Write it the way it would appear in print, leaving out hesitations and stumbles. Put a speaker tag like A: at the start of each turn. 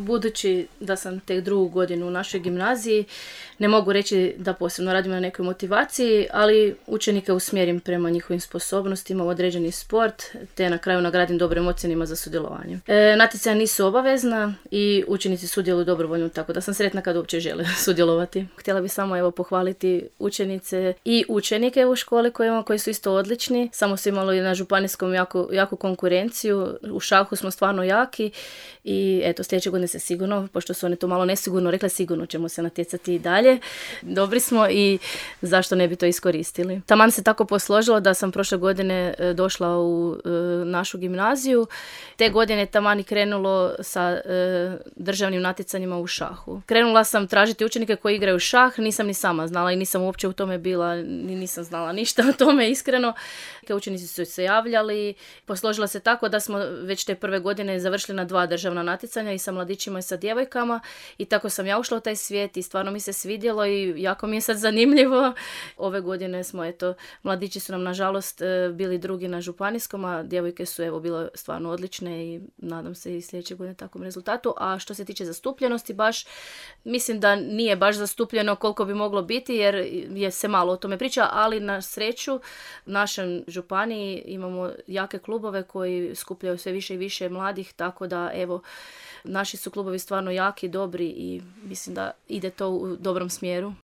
A: Budući da sam tek 2. godinu u našoj gimnaziji, ne mogu reći da posebno radim na nekoj motivaciji, ali učenike usmjerim prema njihovim sposobnostima u određeni sport, te na kraju nagradim dobrim ocjenima za sudjelovanje. Natjecanja nisu obavezna i učenici sudjeluju dobrovoljno, tako da sam sretna kad uopće žele sudjelovati. Htjela bih samo pohvaliti učenice i učenike u školi koji su isto odlični. Samo su imali na županijskom jaku konkurenciju. U šahu smo stvarno jaki i sljedeće godine se sigurno, pošto su one to malo nesigurno rekle, sigurno ćemo se natjecati i dalje. Dobri smo i zašto ne bi to iskoristili. Taman se tako posložilo da sam prošle godine došla u našu gimnaziju. Te godine taman i krenulo sa državnim natjecanjima u šahu. Krenula sam tražiti učenike koji igraju šah, nisam ni sama znala i nisam uopće u tome bila, nisam znala ništa o tome iskreno. Učenici su se javljali, posložila se tako da smo već te prve godine završili na 2 državna natjecanja i sa mladićima i sa djevojkama i tako sam ja ušla u taj svijet i stvarno mi se svidjelo i jako mi je sad zanimljivo. Ove godine smo, mladići su nam nažalost bili drugi na županijskom, a djevojke su bile stvarno odlične i nadam se i sljedeće godine takvom rezultatu. A što se tiče zastupljenosti, baš mislim da nije baš zastupljeno koliko bi moglo biti jer je se malo o tome priča, ali na sreću u našem županiji imamo jake klubove koji skupljaju sve više i više mladih, tako da naši su klubovi stvarno jaki, dobri i mislim da ide to u dobrom smjeru.